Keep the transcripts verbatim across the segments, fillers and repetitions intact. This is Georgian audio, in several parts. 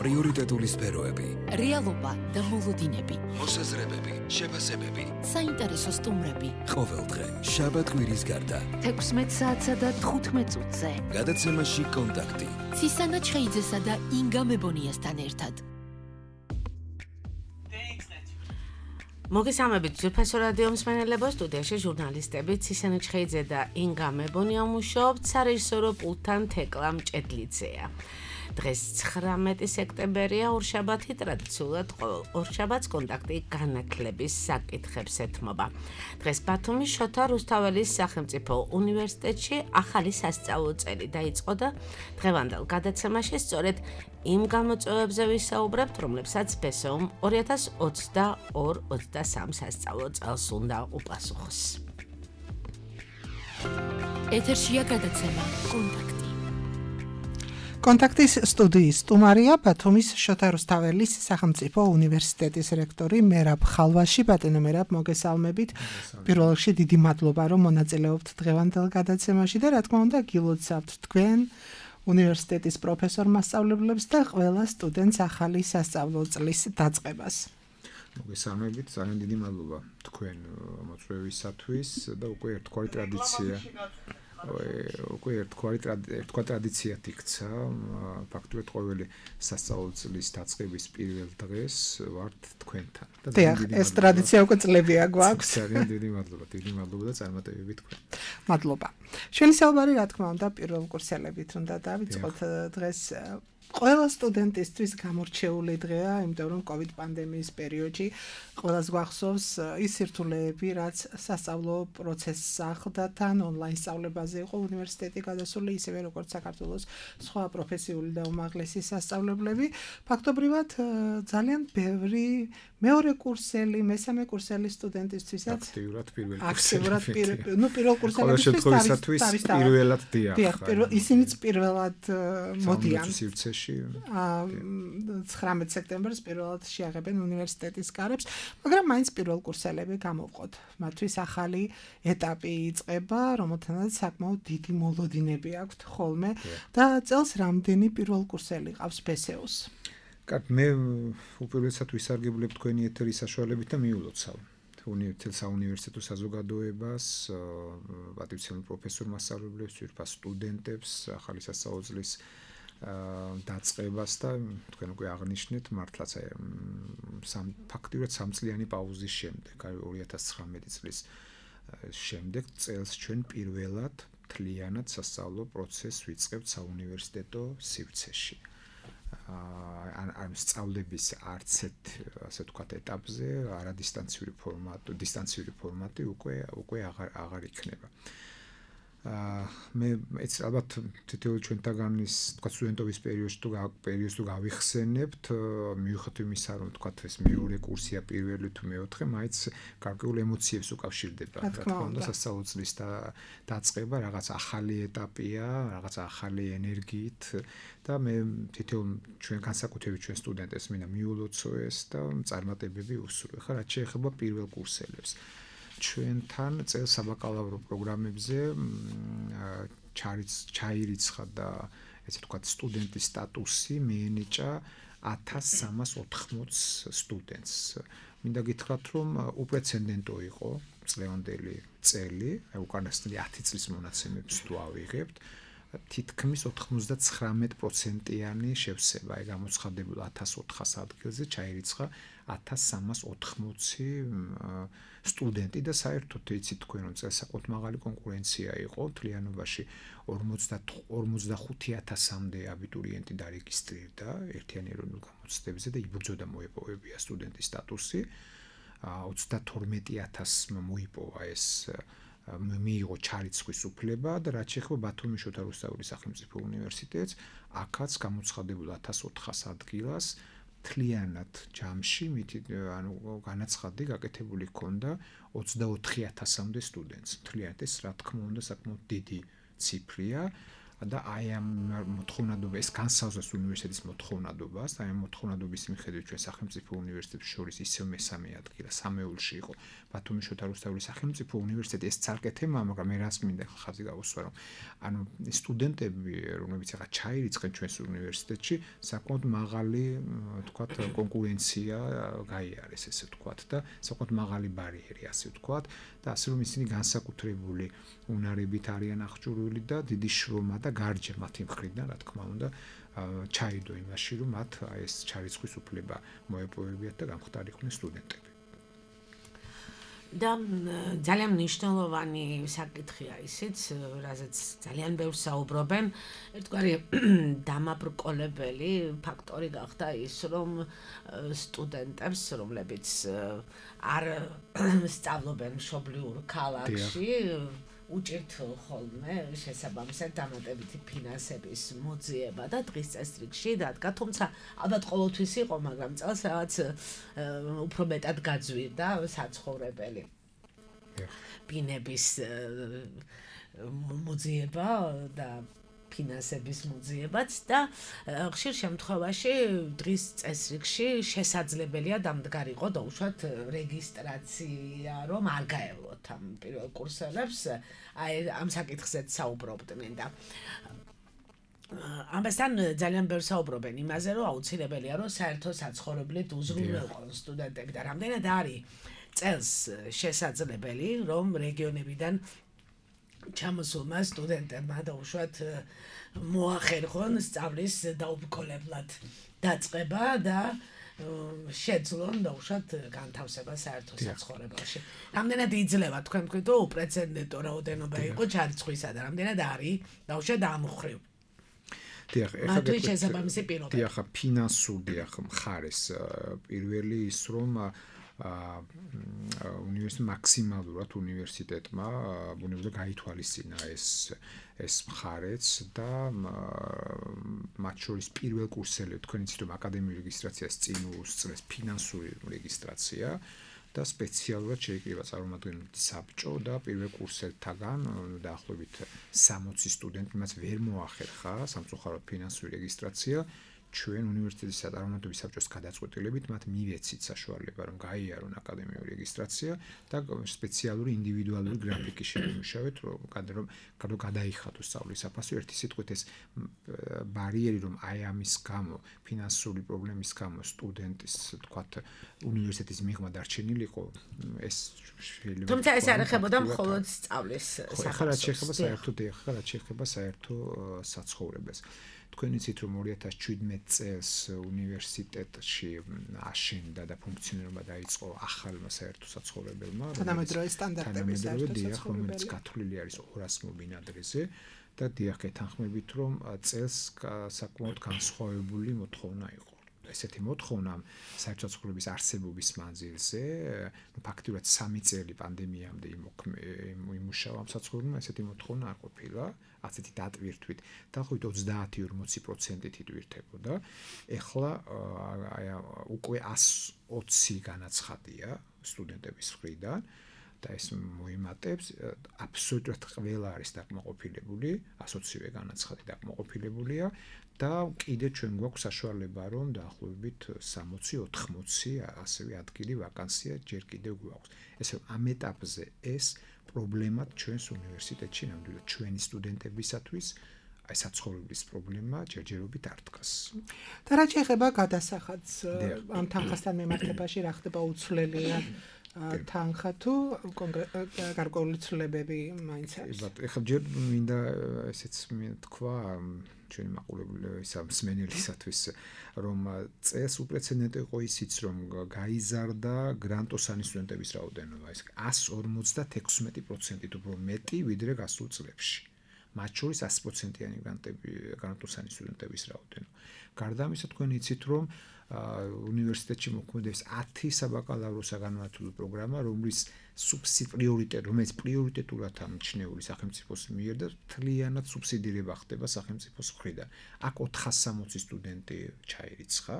პრიორიტეტული სფეროები, რეალობა და მოლოდინები, მოსაზრებები, შეფასებები, საინტერესო სტუმრები. ყოველდღე შაბათ-კვირის გარდა თექვსმეტ საათსა და თხუთმეტ წუთზე. გადაცემაში კონტაქტი. ცისანა ჩხეიძესა და ინგა მებონიასთან ერთად. მოგესალმებით ძვირფასო რადიო მსმენელებო, სტუდიაში ჟურნალისტები ცისანა ჩხეიძე და ინგა მებონია მუშაობთ, სარეჟისორო პულტთან თეკლა მჭედლიძეა. დღეს ცხრამეტი სექტემბერია, ორშაბათი, ტრადიციულად ყოველ ორშაბათს კონტაქტი განათლების საკითხებს ეთმობა. დღეს ბათუმის შოთა რუსთაველის სახელმწიფო უნივერსიტეტში ახალი სასწავლო წელი დაიწყო და დღევანდელ გადაცემაში სწორედ იმ გამოწვევებზე ვისაუბრებთ, რომლებსაც ბესეუმ ორი ათას ოცდაორი ოცდასამი სასწავლო წელს უნდა უპასუხოს. ეთერშია გადაცემა კონტაქტი. კონტაქტის სტუდიის სტუმარია ბათუმის შოთა რუსთაველის სახელმწიფო უნივერსიტეტის რექტორი მერაბ ხალვაში. ბატონო მერაბ, მოგესალმებით. პირველ რიგში დიდი მადლობა, რომ მონაწილეობთ დღევანდელ გადაცემაში და რა თქმა უნდა გილოცავთ თქვენ უნივერსიტეტის პროფესორ-მასწავლებლებს და ყველა სტუდენტს ახალი სასწავლო წლის დაწყებას. მოგესალმებით, ძალიან დიდი მადლობა თქვენ მოწვევისათვის და უკვე ერთგვარი ტრადიცია უკვე ერთგვარი ერთგვარი ტრადიციად იქცა. ფაქტობრივად ყოველი სასწავლო წლის დაწყების პირველ დღეს ვართ თქვენთან. დიახ, ეს ტრადიცია უკვე წლებია გვაქვს. ძალიან დიდი მადლობა, დიდი მადლობა და წარმატებები თქვენ. მადლობა. ჩვენი საუბარი რა თქმა უნდა პირველ კურსელებით უნდა დავიწყოთ დღეს. ყველა სტუდენტისთვის გამორჩეული დღეა, იმიტომ რომ COVID პანდემიის პერიოდში ყველას გვახსოვს ის სირთულეები, რაც სასწავლო პროცესს ახლდა თან ონლაინ სწავლებაზე იყო უნივერსიტეტი გადასული, ისევე როგორც საქართველოს სხვა პროფესიული და უმაღლესი სასწავლებლები. ფაქტობრივად ძალიან ბევრი მეორე კურსელი, მესამე კურსელი სტუდენტისთვისაც აქტიურად პირველ აქტიურად ნუ პირველ კურსელებისთვის თავის პირველად დიახ. დიახ, ისინიც პირველად მოდიან. ცხრამეტ სექტემბერს პირველად შეაღებენ უნივერსიტეტის კარებს, მაგრამ მაინც პირველ კურსელები გამოვყოთ. მათთვის ახალი ეტაპი იწყება, რომელთანაც საკმაოდ დიდი მოლოდინები აქვთ ხოლმე და წელს რამდენი პირველ კურსელი ყავს ბესეუს? კარგი, მე უპირველესად ვისარგებლებ თქვენი ეთერის საშუალებით და მიულოცავ უნივერსიტეტ საუნივერსიტეტო საზოგადოებას, პატივცემულ პროფესორ-მასწავლებლებს, ძვირფას სტუდენტებს, ახალი სასწავლო წლის დაწყებას და თქვენ უკვე აღნიშნეთ მართლაც სამ ფაქტიურად სამწლიანი პაუზის შემდეგ, ორი ათას ცხრამეტი წლის შემდეგ წელს ჩვენ პირველად მთლიანად სასწავლო პროცესს ვიწყებთ საუნივერსიტეტო სივრცეში. ან სწავლების არც ერთ ასე ვთქვათ ეტაპზე არადისტანციური ფორმატი, დისტანციური ფორმატი უკვე უკვე აღარ აღარ იქნება. აა მე ეს ალბათ თითოეულ ჩვენთაგანის თქვა სტუდენტობის პერიოდში თუ პერიოდს თუ გავიხსენებთ, მიუხედავად იმისა, რომ თქვა ეს მეორე კურსია პირველი თუ მეოთხე, მაინც გარკვეულ ემოციებს უკავშირდება. რა თქმა უნდა, სასწავლო წლის დაწყება რაღაც ახალი ეტაპია, რაღაც ახალი ენერგიით და მე თითოეულ ჩვენ განსაკუთრებით ჩვენ სტუდენტებს მინდა მიულოცო ეს და წარმატებები უსურვო. ხა რაც შეეხება პირველ კურსელებს. ჩვენთან წელს საბაკალავრო პროგრამებზე ჩაირიცხა და ესე ვთქვათ სტუდენტის სტატუსი მიენიჭა ათას სამას ოთხმოც სტუდენტს. მინდა გითხრათ, რომ უპრეცედენტო იყო წლევანდელი წელი, უკანასკნელი ათი წლის მონაცემებს თუ ავიღებთ, თითქმის ოთხმოცდაცხრამეტ პროცენტიანი შევსება, აი გამოცხადებულ ათას ოთხას ადგილზე ჩაირიცხა ათას სამას ოთხმოცი სტუდენტი და საერთოდ იცით თქვენ რომ წელს საკმაოდ მაღალი კონკურენცია იყო, მთლიანობაში ორმოცდახუთი ათასამდე აბიტურიენტი დარეგისტრირდა ერთიანი ეროვნულ გამოცდებზე და იბრძოდა მოეპოვებია სტუდენტის სტატუსი. ოცდათორმეტი ათასმა მოიპოვა ეს მიიღო ჩარიცხვის უფლება და რაც შეეხება ბათუმის შოთა რუსთაველის სახელმწიფო უნივერსიტეტს, აქაც გამოცხადებულ ათას ოთხას ადგილას მთლიანად ჯამში ანუ განაცხადი გაკეთებული ჰქონდა ოცდაოთხი ათასამდე სტუდენტს. მთლიანად ეს რა თქმა უნდა საკმაოდ დიდი ციფრია. და აი ამ მოთხოვნადობა ეს განსაზღვრავს უნივერსიტეტის მოთხოვნადობას, აი ამ მოთხოვნადობის მიხედვით ჩვენ სახელმწიფო უნივერსიტეტებს შორის ისევ მესამე ადგილი სამეულში იყო ბათუმის შოთა რუსთაველის სახელმწიფო უნივერსიტეტი. ეს ცალკე თემაა, მაგრამ მე რას მინდა ხაზი გავუსვა, რომ ანუ სტუდენტები, რომლებიც ახლა ჩაირიცხენ ჩვენს უნივერსიტეტში, საკმაოდ მაღალი, თქვათ, კონკურენცია გაიარეს, ესე ვთქვათ და საკმაოდ მაღალი ბარიერი, ასე ვთქვათ და ასე რომ ისინი განსაკუთრებული უნარებით არიან აღჭურვილი და დიდი შრომა და გარჯა მათი მხრიდან, რა თქმა უნდა, ჩაიდო იმაში, რომ მათ ეს ჩარიცხვის უფლება მოეპოვებიათ და გამხდარიყვნენ სტუდენტები. და ძალიან მნიშვნელოვანი საკითხია ისიც, რაზეც ძალიან ბევრს საუბრობენ, ერთგვარი დამაბრკოლებელი ფაქტორი გახდა ის, რომ სტუდენტებს, რომლებიც არ სწავლობენ მშობლიურ ქალაქში, უჭირთ ხოლმე შესაბამისად დამატებითი ფინანსების მოძიება და დღის წესრიგში დადგა, თუმცა ალბათ ყოველთვის იყო, მაგრამ წელს რაღაც უფრო მეტად გაძვირდა საცხოვრებელი ბინების მოძიება და ფინანსების მოძიებაც და ხშირ შემთხვევაში დღის წესრიგში შესაძლებელია დამდგარიყო დაუშვათ რეგისტრაცია, რომ არ გაევლოთ ამ პირველ კურსელებს, აი ამ საკითხზეც საუბრობდნენ და ამასთან ძალიან ბევრს საუბრობენ იმაზე, რომ აუცილებელია, რომ საერთო საცხოვრებლით უზრუნველყონ სტუდენტები და რამდენად არის წელს შესაძლებელი, რომ რეგიონებიდან ჩამოსულმა სტუდენტებმა დაუშვათ მოახერხონ სწავლის დაუბრკოლებლად დაწყება და შეძლონ დაუშვათ განთავსება საერთო საცხოვრებელში. რამდენად იძლევა თქვენ თქვით, რომ უპრეცედენტო რაოდენობა იყო ჩარიცხვისა და რამდენად არის დაუშვათ ამ მხრივ. დიახ, მათთვის შესაბამისი პირობები. დიახ, ფინანსური დიახ მხარეს პირველი ის რომ უნივერსიტეტ მაქსიმალურად უნივერსიტეტმა ბუნებრივად გაითვალისწინა ეს ეს მხარეც და მათ შორის პირველ კურსელებს თქვენ იცით რომ აკადემიური რეგისტრაციას წინ უსწრებს ფინანსური რეგისტრაცია და სპეციალურად შეიკრიბა წარმომადგენლობითი საბჭო და პირველ კურსელთაგან დაახლოებით სამოცი სტუდენტი მას ვერ მოახერხა სამწუხაროდ ფინანსური რეგისტრაცია. ჩვენ უნივერსიტეტის წარმომადგენლობის საბჭოს გადაწყვეტილებით მათ მივეცით საშუალება რომ გაიარონ აკადემიური რეგისტრაცია და სპეციალური ინდივიდუალური გრაფიკი შეიმუშავეთ რომ რომ გადაიხადოს სწავლის საფასო ერთი სიტყვით ეს ბარიერი რომ აი ამის გამო ფინანსური პრობლემის გამო სტუდენტის თქვათ უნივერსიტეტის მიღმა დარჩენილიყო ეს შეიძლება თუმცა ეს არ ეხებოდა მხოლოდ სწავლის საფასოს ხარად შეეხება საერთოდ ხარად შეეხება საერთო საცხოვრებელს თქვენ იცით რომ ორი ათას შვიდმეტ წელს უნივერსიტეტში აშენდა და ფუნქციონირება დაიწყო ახალმა საერთო საცხოვრებელმა თანამედროვე სტანდარტების საერთო საცხოვრებელი რომელიც გათვლილი არის ორას მობინადრეზე და დიახ ეთანხმებით რომ წელს საკმაოდ განსხვავებული მოთხოვნა იყო ესეთი მოთხოვნა საერთო საცხოვრების არსებობის მანძილზე ნუ ფაქტობრივად სამი წელი პანდემიამდე იმუშავა ამ საცხოვრებელმა ესეთი მოთხოვნა არ ყოფილა ასეთი დატვირთვით დაახლოებით ოცდაათი ორმოცი პროცენტით იტვირთებოდა. ეხლა აი უკვე ასი ოცი განაცხადია სტუდენტების მხრიდან და ეს მოიმატებს აბსოლუტურად ყველა არის დაკმაყოფილებული, ასი ოცივე განაცხადი დაკმაყოფილებულია და კიდე ჩვენ გვაქვს საშუალება რომ დაახლოებით სამოცი ოთხმოცი ასევე ადგილი ვაკანსია ჯერ კიდევ გვაქვს. ესე რომ ამ ეტაპზე ეს პრობლემად ჩვენს უნივერსიტეტში ნამდვილად ჩვენი სტუდენტებისათვის აი საცხოვრებლის პრობლემა ჯერჯერობით არ დგას. და რა შეეხება გადასახადს ამ თანხასთან მიმართებაში რა ხდება უცვლელია თანხა თუ გარკვეული ცვლილებები მაინც არის. ეხლა ჯერ მინდა ესეც თქვა ჩვენი მაყურებელი ისა მსმენელისათვის რომ წელს უპრეცედენტო იყო ისიც რომ გაიზარდა გრანტოსანი სტუდენტების რაოდენობა ეს ასი ორმოცდათექვსმეტი პროცენტით უფრო მეტი ვიდრე გასულ წლებში მათ შორის ასი პროცენტიანი გრანტები გრანტოსანი სტუდენტების რაოდენობა გარდა ამისა თქვენ იცით რომ უნივერსიტეტში მოქმედებს ათი საბაკალავრო საგანმანათლებლო პროგრამა რომლის სუბსიდ პრიორიტეტ რომელიც პრიორიტეტულად ამჩნეული სახელმწიფოს მიერ და თლიანად სუბსიდირება ხდება სახელმწიფოს მხრიდან. აქ ოთხასი სამოცი სტუდენტი ჩაირიცხა.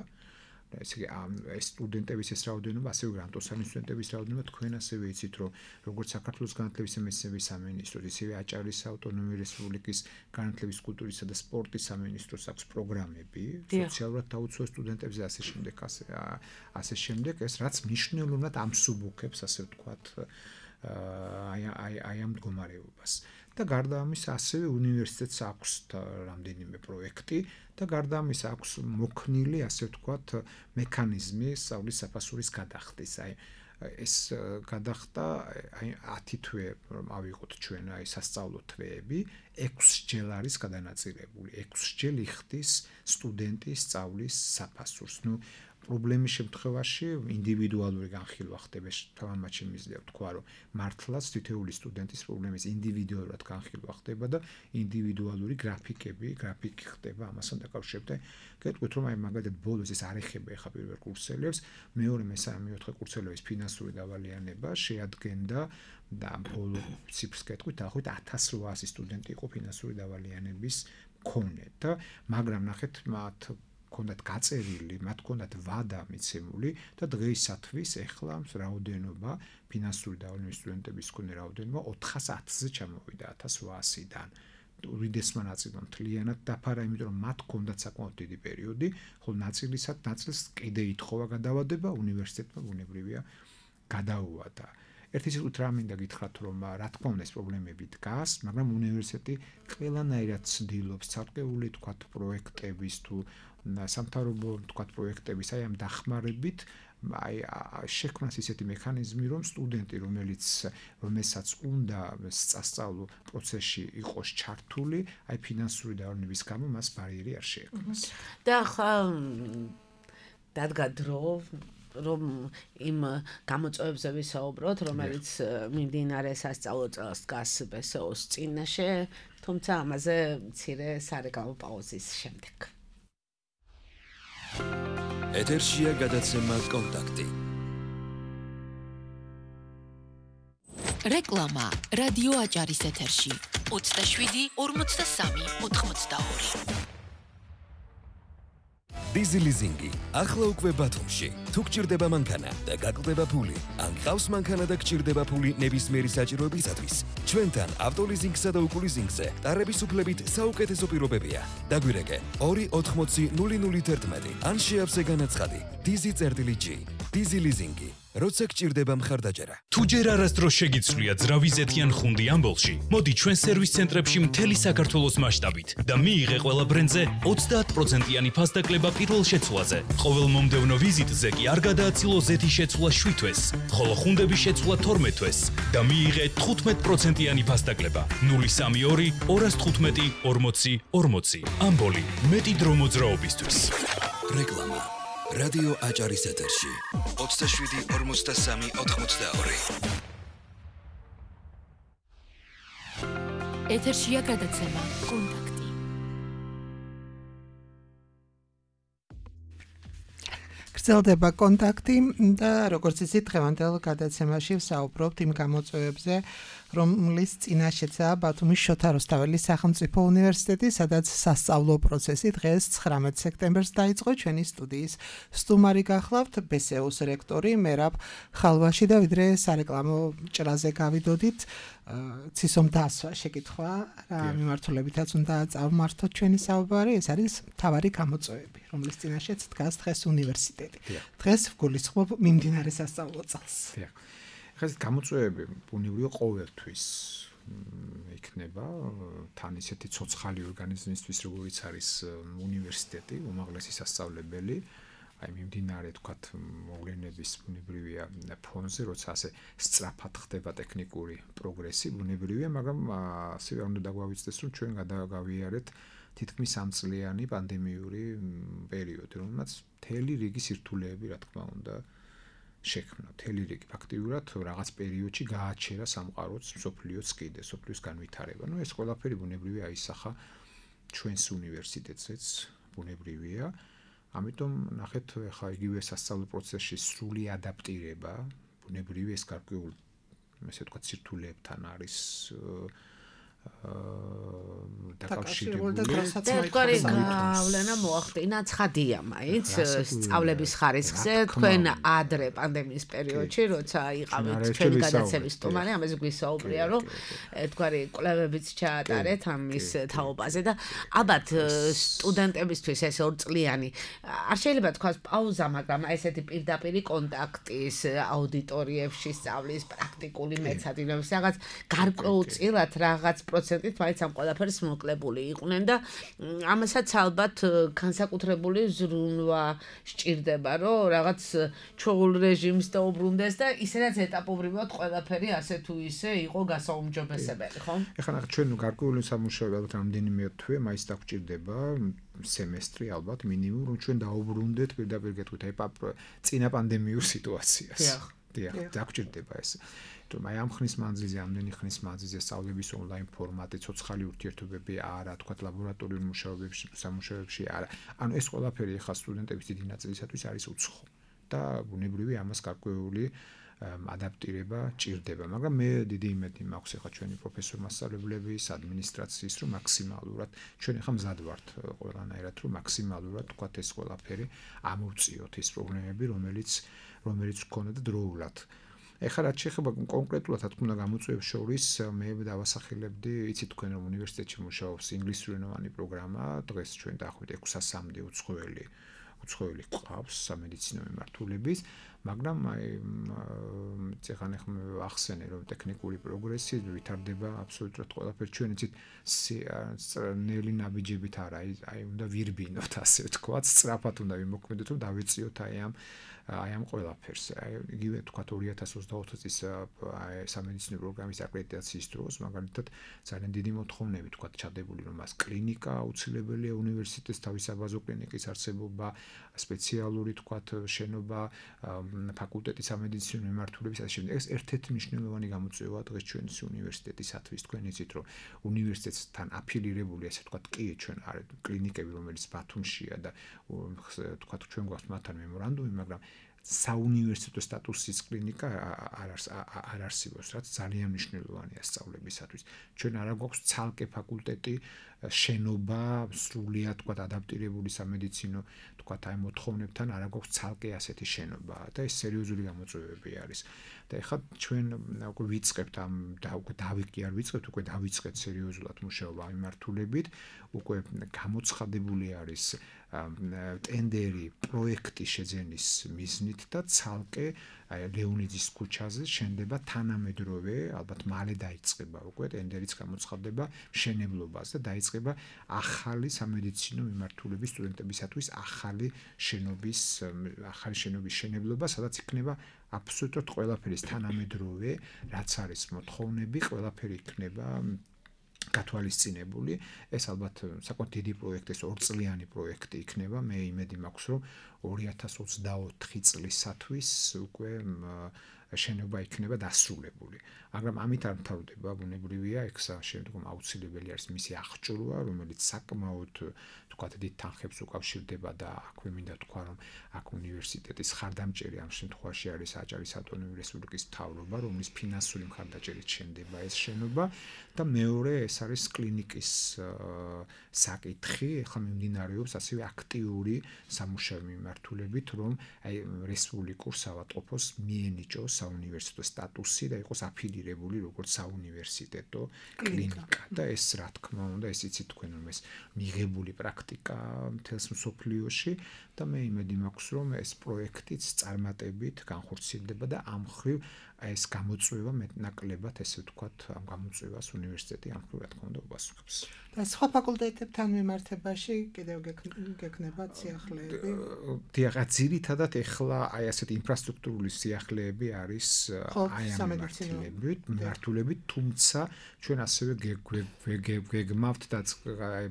ესე იგი ამ სტუდენტების ეს რაოდენობა, ასევე გრანტოსანი სტუდენტების რაოდენობა თქვენ ასევე იცით, რომ როგორც საქართველოს განათლების და მეცნიერების სამინისტროს, ისევე აჭარის ავტონომიური რესპუბლიკის განათლების, კულტურისა და სპორტის სამინისტროს აქვს პროგრამები სოციალურად დაუცველ სტუდენტებზე და ასე შემდეგ, ასე ასე შემდეგ, ეს რაც მნიშვნელოვნად ამსუბუქებს, ასე ვთქვათ, აი აი აი ამ მდგომარეობას. და გარდა ამისა ასევე უნივერსიტეტს აქვს რამდენიმე პროექტი და გარდა ამისა აქვს მოქნილი, ასე ვთქვათ, მექანიზმი სწავლის საფასურის გადახდის. აი ეს გადახდა აი ათი თვე რომ ავიღოთ ჩვენ აი სასწავლო თვეები, ექვსჯერ არის გადანაწილებული. ექვსჯერ იხდის სტუდენტის სწავლის საფასურს. ნუ პრობლემის შემთხვევაში ინდივიდუალური განხილვა ხდება, თამამად შემიძლია ვთქვა, რომ მართლაც თითოეული სტუდენტის პრობლემის ინდივიდუალურად განხილვა ხდება და ინდივიდუალური გრაფიკები, გრაფიკი ხდება ამასთან დაკავშირებით. გეტყვით, რომ აი მაგალითად ბოლოს ეს არ ეხება ახლა პირველ კურსელებს, მეორე, მესამე, მეოთხე კურსელების ფინანსური დავალიანება შეადგენდა და ბოლო ციფრს გეტყვით, დაახლოებით ათას რვაასი სტუდენტი იყო ფინანსური დავალიანების მქონე და მაგრამ ნახეთ მათ ქონდათ გაწერილი, მათ ქონდათ ვადა მიცემული და დღეისათვის ეხლა რაოდენობა ფინანსური დავალიანების სტუდენტების მქონე რაოდენობა ოთხას ათზე ჩამოვიდა ათას რვაასიდან. უდიდესმა ნაწილმა მთლიანად დაფარა, იმიტომ რომ მათ ქონდათ საკმაოდ დიდი პერიოდი, ხოლო ნაწილისად ნაწილს კიდე ითხოვა გადავადება, უნივერსიტეტმა ბუნებრივია გადაუვადა. ერთი სიტყვით რა მინდა გითხრათ, რომ რა თქმა უნდა ეს პრობლემები დგას, მაგრამ უნივერსიტეტი ყველანაირად ცდილობს ცალკეული თქვათ პროექტების თუ სამთავრობო თქვათ პროექტების აი ამ დახმარებით აი შექმნას ისეთი მექანიზმი, რომ სტუდენტი, რომელიც რომელსაც უნდა სწავლო პროცესში იყოს ჩართული, აი ფინანსური დავალების გამო მას ბარიერი არ შეექმნას. და ხა დადგა დრო რომ იმ გამოწვევებზე ვისაუბროთ, რომელიც მიმდინარე სასწავლო წელს დგას ბესოს წინაშე, თუმცა ამაზე მცირე სარეკლამო პაუზის შემდეგ. ეთერშია გადაცემა კონტაქტი. რეკლამა რადიო აჭარის ეთერში ოცდაშვიდი ორმოცდასამი ოთხმოცდაორი. დიზი ლიზინგი ახლა უკვე ბათუმში. თუ გჭირდება მანქანა და გაკლდება ფული, ან ყავს მანქანა და გჭირდება ფული ნებისმიერი საჭიროებისათვის, ჩვენთან ავტოლიზინგსა და უკულიზინგზე ტარების უფლებით საუკეთესო პირობებია. დაგვირეკე ორი ოთხმოცი ნული ნული თერთმეტი ან შეავსე განაცხადი დიზი წერტილი ჯი. დიზი ლიზინგი. როცა გჭირდება მხარდაჭერა. თუ ჯერ არასდროს შეგიცვლია ძრავი ზეთიან ხუნდი ამბოლში, მოდი ჩვენ სერვის ცენტრებში მთელი საქართველოს მასშტაბით და მიიღე ყველა ბრენდზე ოცდაათ პროცენტიანი ფასდაკლება პირველ შეცვლაზე. ყოველ მომდევნო ვიზიტზე კი არ გადააცილო ზეთის შეცვლა შვიდ თვეს, ხოლო ხუნდების შეცვლა თორმეტ თვეს და მიიღე თხუთმეტ პროცენტიანი ფასდაკლება. ნული სამი ორი ორას თხუთმეტი ორმოცი ორმოცი. ამბოლი მეტი დრო მოძრაობისთვის. რეკლამა რადიო აჭარის ეთერში ოცდაშვიდი ორმოცდასამი ოთხმოცდაორი. ეთერშია გადაცემა კონტაქტი. გრძელდება კონტაქტი და როგორც იცით, დღევანდელ გადაცემაში ვსაუბრობთ იმ გამოწვევებზე, რომლის წინაშეცაა ბათუმის შოთა რუსთაველის სახელმწიფო უნივერსიტეტი, სადაც სასწავლო პროცესი დღეს ცხრამეტ სექტემბერს დაიწყო. ჩვენი სტუდიის სტუმარი გახლავთ ბესეოს რექტორი მერაბ ხალვაში და ვიდრე სარეკლამო ჭრაზე გავიდოდით, ცისომ დასვა შეკითხვა, რა მიმართულებითაც უნდა წავმართოთ ჩვენი საუბარი, ეს არის მთავარი გამოწვევები, რომლის წინაშეც დგას დღეს უნივერსიტეტი. დღეს ვგულისხმობ მიმდინარე სასწავლო წელს. ხა ეს გამოწვევები ბუნებრივია ყოველთვის იქნება თან ისეთი ცოცხალი ორგანიზმისთვის, როგორიც არის უნივერსიტეტი, უმაღლესი სასწავლებელი, აი მიმდინარე თქვათ მოვლენების ბუნებრივია ფონზე, როცა ასე სწრაფად ხდება ტექნიკური პროგრესი, ბუნებრივია, მაგრამ ასევე უნდა დაგვავიწყდეს, რომ ჩვენ გადავიარეთ თითქმის სამწლიანი პანდემიური პერიოდი, რომელმაც მთელი რიგი სირთულეები, რა თქმა უნდა, შექმნა. მთელი რიგი ფაქტიურად რაღაც პერიოდში გააჩერა სამყაროც, მსოფლიოც კიდე, მსოფლიოს განვითარება. ნუ ეს ყველაფერი ბუნებრივია აისახა ჩვენს უნივერსიტეტზეც, ბუნებრივია. ამიტომ ნახეთ, ხა იგივე სასწავლო პროცესში სრული ადაპტირება, ბუნებრივია ეს გარკვეულ, ესე ვთქვათ, სირთულეებთან არის დაკავშირებული თქვენი გავლენა მოახდინა ცხადია მაინც სწავლების ხარისხზე თქვენ ადრე პანდემიის პერიოდში როცა იყავით ჩვენი გადაცემის სტუმარი ამაზე გვისაუბრია რომ თქვენი კვლევებიც ჩაატარეთ ამის თაობაზე და ალბათ სტუდენტებისთვის ეს ორწლიანი არ შეიძლება თქვას პაუზა მაგრამ ესეთი პირდაპირი კონტაქტის აუდიტორიებში სწავლის პრაქტიკული მეცადინეობის რაღაც გარკვეულწილად რაღაც პროცენტით მაინც ამ ყველაფერს მოკლებული იყვნენ და ამასაც ალბათ განსაკუთრებული ზრუნვა სჭირდება რომ რაღაც ჩოულ რეჟიმს დაუბრუნდეს და ისედაც ეტაპობრივად ყველაფერი ასე თუ ისე იყო გასაუმჯობესებელი ხო? ეხლა ნახე ჩვენ გარკვეული სამუშაოები ალბათ რამდენიმე თვე მაინც დაგჭირდება სემესტრი ალბათ მინიმუმ რომ ჩვენ დაუბრუნდეთ პირდაპირ გეტყვით აი წინა პანდემიურ სიტუაციას. დიახ, დაგჭირდება ეს. თუმცა აი ამ ხნის მანძილზე, ამდენი ხნის მანძილზე სწავლების ონლაინ ფორმატი, ცოცხალი ურთიერთობები არა, თქვა ლაბორატორიულ მუშაობებში, სამუშაოებში არა. ანუ ეს ყველაფერი ახლა სტუდენტების დიდი ნაწილისათვის არის უცხო და ბუნებრივია ამას გარკვეული ადაპტირება ჭირდება, მაგრამ მე დიდი იმედი მაქვს ახლა ჩვენი პროფესორ-მასწავლებლების, ადმინისტრაციის, რომ მაქსიმალურად ჩვენ ახლა მზად ვართ ყველანაირად, რომ მაქსიმალურად თქვა ეს ყველაფერი ამოვწიოთ ის პრობლემები, რომელიც რომელიც გქონდა და დროულად. ეხლა რაც შეეხება კონკრეტულად რა თქმა უნდა გამოწვევებს შორის მე დავასახელებდი, იცით თქვენ რომ უნივერსიტეტში მუშაობს ინგლისურენოვანი პროგრამა, დღეს ჩვენ დაახლოებით ექვსასამდე უცხოელი უცხოელი ყავს სამედიცინო მიმართულების, მაგრამ აი წეგან ახლა ახსენე რომ ტექნიკური პროგრესი ვითარდება აბსოლუტურად ყველაფერი ჩვენ იცით ნელი ნაბიჯებით არა, აი უნდა ვირბინოთ ასე ვთქვათ, სწრაფად უნდა ვიმოქმედოთ რომ დავეციოთ აი ამ აი ამ ყველაფერს. აი იგივე თქვათ ორი ათას ოცდაოთხ წლის სამედიცინო პროგრამის აკრედიტაციის დროს მაგალითად ძალიან დიდი მოთხოვნები თქვათ ჩადებული რომ მას კლინიკა აუცილებელია უნივერსიტეტის თავის საბაზო კლინიკის არსებობა, სპეციალური თქვათ შენობა, ფაკულტეტის სამედიცინო მიმართულების ასე შემდეგ. ეს ერთ-ერთი მნიშვნელოვანი გამოწვევა დღეს ჩვენს უნივერსიტეტისათვის. თქვენ იცით რომ უნივერსიტეტთან აფილირებული ასე თქვათ კი ჩვენ არის კლინიკები რომელიც ბათუმშია და თქვათ ჩვენ გვაქვს მათთან მემორანდუმი, მაგრამ საუნივერსიტეტო სტატუსის კლინიკა არ არ არსებობს, რაც ძალიან მნიშვნელოვანია სწავლებისათვის. ჩვენ არა გვაქვს ცალკე ფაკულტეტი, შენობა, სრულიად თქვათ ადაპტირებული სამედიცინო თქვათ აი მოთხოვნებთან არა გვაქვს ცალკე ასეთი შენობა და ეს სერიოზული გამოწვევები არის. და ეხლა ჩვენ უკვე ვიწყებთ ამ და უკვე დავიკი არ ვიწყებთ, უკვე დავიწყეთ სერიოზულად მუშაობა ამ მიმართულებით, უკვე გამოცხადებული არის ტენდერი პროექტი შეძენის მიზნით და ცალკე ლეონიძის ქუჩაზე შენდება თანამედროვე, ალბათ მალე დაიწყება უკვე ტენდერიც გამოცხადდება მშენებლობას და დაიწყება ახალი სამედიცინო მიმართულების სტუდენტებისათვის ახალი შენობის ახალი შენობის შენებლობა, სადაც იქნება აბსოლუტურად ყველაფერი თანამედროვე, რაც არის მოთხოვნები, ყველაფერი იქნება გათვალისწინებული. ეს ალბათ საკმაოდ დიდი პროექტი, ეს ორწლიანი პროექტი იქნება. მე იმედი მაქვს, რომ ორი ათას ოცდაოთხი წლისათვის უკვე შენობა იქნება დასრულებული. მაგრამ ამით არ მთავრდება, ბუნებრივია, ექსა შემდგომ აუცილებელი არის მისი აღჭურვა, რომელიც საკმაოდ თქვათ დიდ თანხებს უკავშირდება და აქვე მინდა თქვა, რომ აქ უნივერსიტეტის ხარდამჭერი ამ შემთხვევაში არის აჭარის ავტონომიური რესპუბლიკის მთავრობა, რომლის ფინანსური მხარდაჭერით შენდება ეს შენობა და მეორე ეს არის კლინიკის საკითხი, ახლა მიმდინარეობს ასევე აქტიური სამუშაო მიმართულებით, რომ აი რესპუბლიკურ საავადმყოფოს მიენიჭოს საუნივერსიტეტო სტატუსი და იყოს აფილირებული როგორც საუნივერსიტეტო კლინიკა და ეს რა თქმა უნდა ეს იცით თქვენ რომ ეს მიღებული პრაქტიკა მთელს მსოფლიოში და მე იმედი მაქვს რომ ეს პროექტიც წარმატებით განხორციელდება და ამ მხრივ ეს გამოწვევა მეტნაკლებად ესე ვთქვათ ამ გამოწვევას უნივერსიტეტი ამ მხრივ რა თქმა უნდა უპასუხებს. და სხვა ფაკულტეტებთან მიმართებაში კიდევ გექნება სიახლეები? დიახ, ძირითადად ეხლა აი ასეთი ინფრასტრუქტურული სიახლეები არის აი ამ მიმართულებით, თუმცა ჩვენ ასევე გეგმავთ და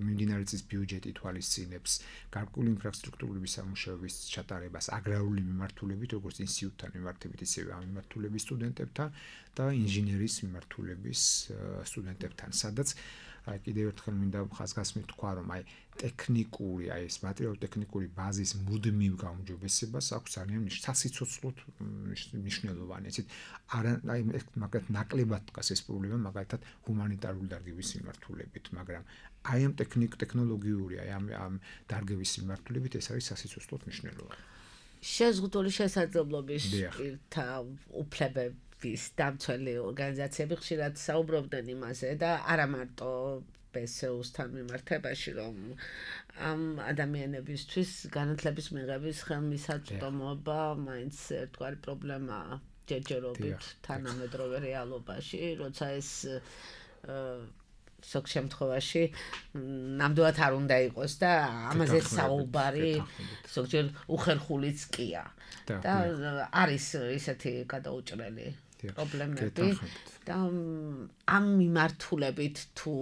მიმდინარე წლის ბიუჯეტი თვალისწინებს გარკვეული ინფრასტრუქტურული სამუშაოების ჩატარებას აგრარული მიმართულებით, როგორც ინსტიტუტთან მიმართებით, ისევე ამ მიმართულების სტუდენტებთან და ინჟინერიის მიმართულების სტუდენტებთან, სადაც აი კიდევ ერთხელ მინდა ხაზგასმით თქვა, რომ აი ტექნიკური, აი ეს მატერიალურ-ტექნიკური ბაზის მუდმივ გაუმჯობესებას აქვს ძალიან სასიცოცხლოდ მნიშვნელოვანი. ესეთ არა აი მაგათ ნაკლებად დგას ეს პრობლემა მაგალითად ჰუმანიტარული დარგების მიმართულებით, მაგრამ აი ამ ტექნიკ ტექნოლოგიური აი ამ ამ დარგების მიმართულებით ეს არის სასიცოცხლოდ მნიშვნელოვანი. შეზღუდული შესაძლებლობის პირთა უფლებების დამცველი ორგანიზაციები ხშირად საუბრობდნენ იმაზე და არა მარტო ბესეუსთან მიმართებაში, რომ ამ ადამიანებისთვის განათლების მიღების ხელმისაწვდომობა მაინც ერთგვარი პრობლემაა ჯერჯერობით თანამედროვე რეალობაში, როცა ეს ზოგ შემთხვევაში ნამდვილად არ უნდა იყოს და ამაზე საუბარი ზოგჯერ უხერხულიც კია. და არის ისეთი გადაუჭრელი პრობლემები და ამ მიმართულებით თუ